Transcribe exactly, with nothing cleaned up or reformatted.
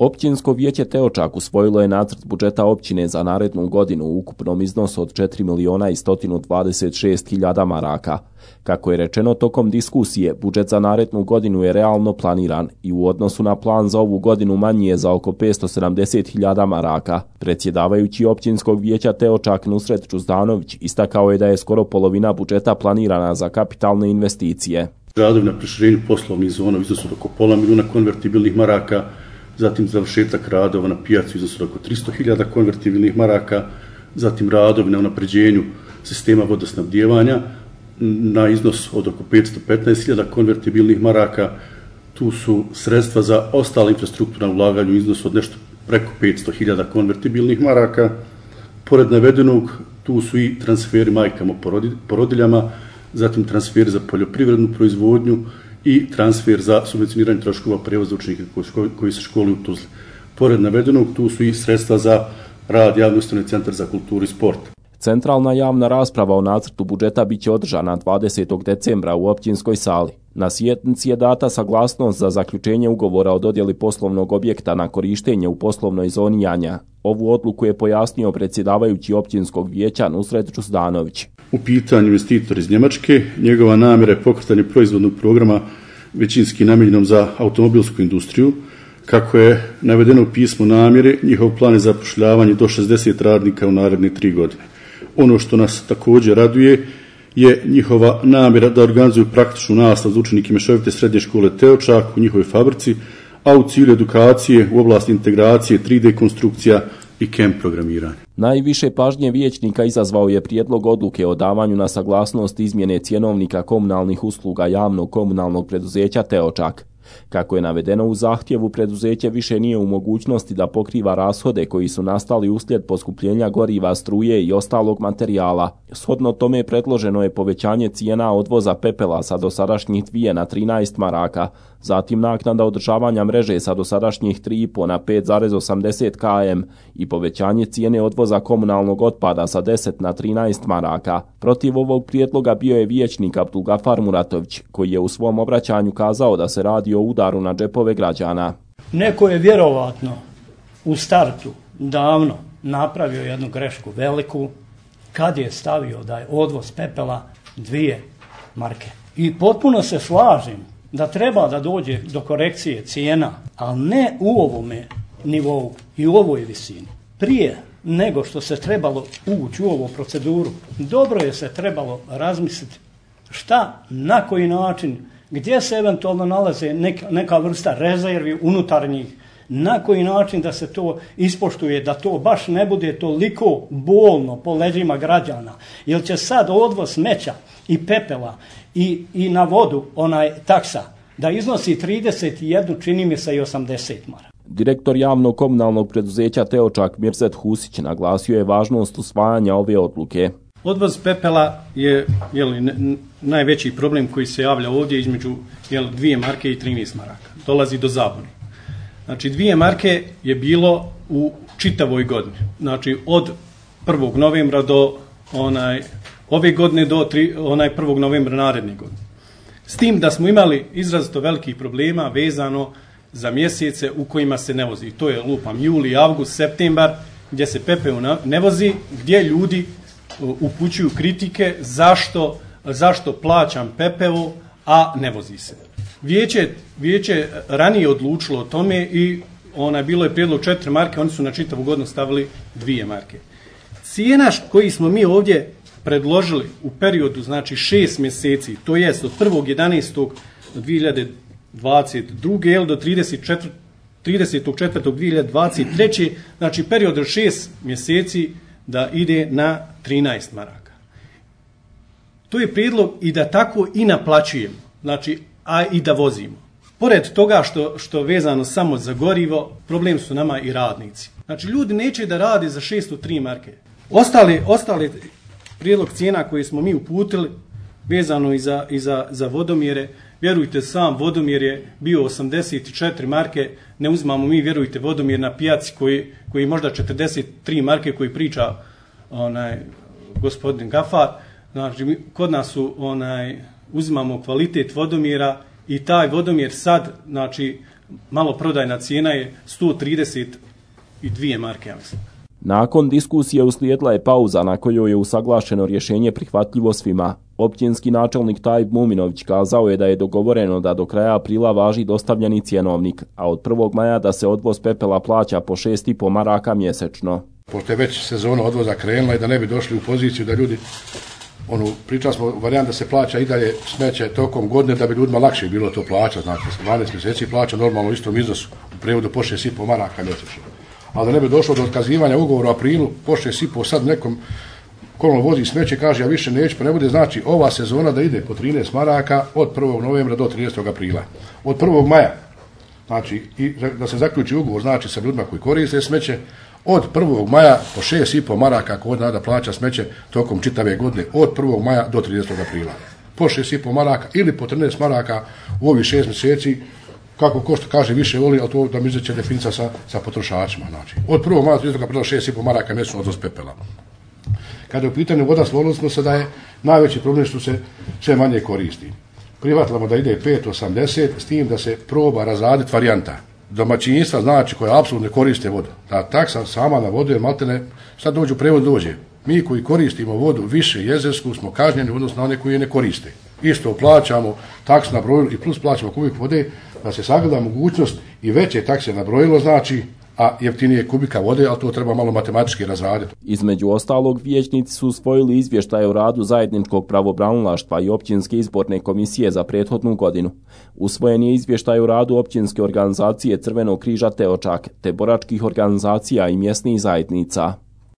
Općinsko vijeće Teočak usvojilo je nacrt budžeta općine za narednu godinu u ukupnom iznosu od četiri miliona i sto dvadeset šest hiljada maraka. Kako je rečeno tokom diskusije, budžet za narednu godinu je realno planiran i u odnosu na plan za ovu godinu manji je za oko petsto sedamdeset hiljada maraka. Predsjedavajući općinskog vijeća Teočak Nusret Čuzdanović istakao je da je skoro polovina budžeta planirana za kapitalne investicije. Radovi na proširenju poslovnih zona u iznosu oko pola milijuna konvertibilnih maraka, zatim završetak radova na pijaci u iznosu oko tristo hiljada konvertibilnih maraka, zatim radovi na unapređenju sistema vodosnabdijevanja na iznos od oko petsto petnaest hiljada konvertibilnih maraka. Tu su sredstva za ostale infrastrukturne ulaganje u iznosu od nešto preko petsto hiljada konvertibilnih maraka. Pored navedenog, tu su i transferi majkama porodiljama, zatim transfer za poljoprivrednu proizvodnju i transfer za subvencioniranje troškova prijevoza učenika koji se školuju u Tuzli. Pored navedenog, tu su i sredstva za rad javne ustanove Centar za kulturu i sport. Centralna javna rasprava o nacrtu budžeta biće održana dvadesetog decembra u općinskoj sali. Na sjednici je data saglasnost za zaključenje ugovora o dodjeli poslovnog objekta na korištenje u poslovnoj zoni Janja. Ovu odluku je pojasnio predsjedavajući općinskog vijeća Nusret Čuzdanović. U pitanju investitor iz Njemačke, njegova namjera je pokretanje proizvodnog programa većinski namijenjenom za automobilsku industriju. Kako je navedeno u pismu namjere, njihov plan je zapošljavanje do šezdeset radnika u naredne tri godine. Ono što nas također raduje je njihova namjera da organizuju praktičnu nastavu za učenike mješovite srednje škole Teočak u njihovoj fabrici, a u cilju edukacije u oblasti integracije, tri D konstrukcija i C A M programiranja. Najviše pažnje vijećnika izazvao je prijedlog odluke o davanju na saglasnost izmjene cjenovnika komunalnih usluga javnog komunalnog preduzeća Teočak. Kako je navedeno u zahtjevu, preduzeće više nije u mogućnosti da pokriva rashode koji su nastali uslijed poskupljenja goriva, struje i ostalog materijala. Shodno tome predloženo je povećanje cijena odvoza pepela sa dosadašnjih dvije na trinaest maraka, zatim naknada održavanja mreže sa dosadašnjih tri i po na pet zarez osamdeset km i povećanje cijene odvoza komunalnog otpada sa deset na trinaest maraka. Protiv ovog prijedloga bio je vijećnik Abdulgafar Muratović, koji je u svom obraćanju kazao da se radi o udaru na džepove građana. Neko je vjerovatno u startu davno napravio jednu grešku veliku kad je stavio da je odvoz pepela dvije marke. I potpuno se slažem da treba da dođe do korekcije cijena, ali ne u ovome nivou i u ovoj visini. Prije nego što se trebalo ući u ovu proceduru, dobro je se trebalo razmisliti šta, na koji način, gdje se eventualno nalaze neka, neka vrsta rezervi unutarnjih, na koji način da se to ispoštuje, da to baš ne bude toliko bolno po leđima građana, jer će sad odvoz smeća i pepela i, i na vodu onaj taksa da iznosi trideset jedan, čini mi se i osamdeset maraka. Direktor javnog komunalnog preduzeća Teočak Mirzet Husić naglasio je važnost usvajanja ove odluke. Odvoz pepela je jeli, n- najveći problem koji se javlja ovdje između jeli, dvije marke i trinaest maraka. Dolazi do zabune. Znači dvije marke je bilo u čitavoj godini. Znači od prvog novembra do onaj, ove godine do tri, onaj prvog novembra naredne godine. S tim da smo imali izrazito velikih problema vezano za mjesece u kojima se ne vozi. To je lupam juli, avgust, septembar, gdje se pepeo ne vozi, gdje ljudi upućuju kritike zašto, zašto plaćam pepeo, a ne vozi se. Vijeće, vijeće ranije odlučilo o tome i ona, bilo je prijedlog četiri marke, oni su na čitavu godinu stavili dvije marke. Cijena koji smo mi ovdje predložili u periodu, znači šest mjeseci, to jest od prvog jedanaestog dvije hiljade dvadeset druge do tridesetog četvrtog dvije hiljade dvadeset treće znači period od šest mjeseci da ide na trinaest maraka. To je prijedlog i da tako i naplaćujemo, znači, a i da vozimo. Pored toga što, što vezano samo za gorivo, problem su nama i radnici. Znači, ljudi neće da rade za šesto tri marke. Ostali, ostali prijedlog cijena koji smo mi uputili, vezano i za, i za, za vodomjere, vjerujte, sam vodomjer je bio osamdeset četiri marke, ne uzmamo mi, vjerujte, vodomjer na pijaci koji, koji možda četrdeset tri marke koji priča onaj gospodin Gafar. Znači, mi, kod nas su, onaj, uzimamo kvalitet vodomjera i taj vodomjer sad, znači, maloprodajna cijena je sto trideset dvije marke, ja mislim. Nakon diskusije uslijedila je pauza na kojoj je usaglašeno rješenje prihvatljivo svima. Općinski načelnik Tajib Muminović kazao je da je dogovoreno da do kraja aprila važi dostavljeni cjenovnik, a od prvog maja da se odvoz pepela plaća po šest i po maraka mjesečno. Pošto je već sezona odvoza krenula i da ne bi došli u poziciju da ljudi, ono, pričali smo varijant da se plaća i dalje smeće tokom godine da bi ljudima lakše bilo to plaća, znači dvanaest mjeseci plaća normalno u istom iznosu, u prevodu po šest i po maraka mjesečno. Ali da ne bi došlo do otkazivanja ugovora u aprilu, po šest i po sad nekom kolno vozi smeće, kaže ja više neću, pa ne bude znači ova sezona da ide po trinaest maraka od prvog novembra do tridesetog aprila. Od prvog maja, znači i da se zaključi ugovor znači sa ljudima koji koriste smeće, od prvog maja po šest i po maraka kod nada plaća smeće tokom čitave godine od prvog maja do tridesetog aprila. Po šest i po maraka ili po trinaest maraka u ovih šest mjeseci, kako ko što kaže više voli, ali to da mi izreće definicija sa, sa potrošačima. Znači, od prvog maja do tridesetog aprila šest i po maraka mjesečno odvoz pepela. Kada je u pitanju voda, složili smo se da je najveći problem što se sve manje koristi. Prihvatimo da ide pet osamdeset, s tim da se proba razraditi varijanta domaćinstva, znači koja apsolutno ne koriste vodu. Ta taksa sama na vodu je maltene, sad dođu prevod dođe. Mi koji koristimo vodu više jezersku smo kažnjeni odnosno na one koji je ne koriste. Isto plaćamo taks na brojilo i plus plaćamo kubik vode, da se sagleda mogućnost i veće takse na brojilo znači, a jeftinije kubika vode, ali to treba malo matematički razraditi. Između ostalog, vijećnici su usvojili izvještaje o radu zajedničkog pravobranilaštva i općinske izborne komisije za prethodnu godinu. Usvojen je izvještaj o radu općinske organizacije Crvenog križa Teočak, te boračkih organizacija i mjesnih zajednica.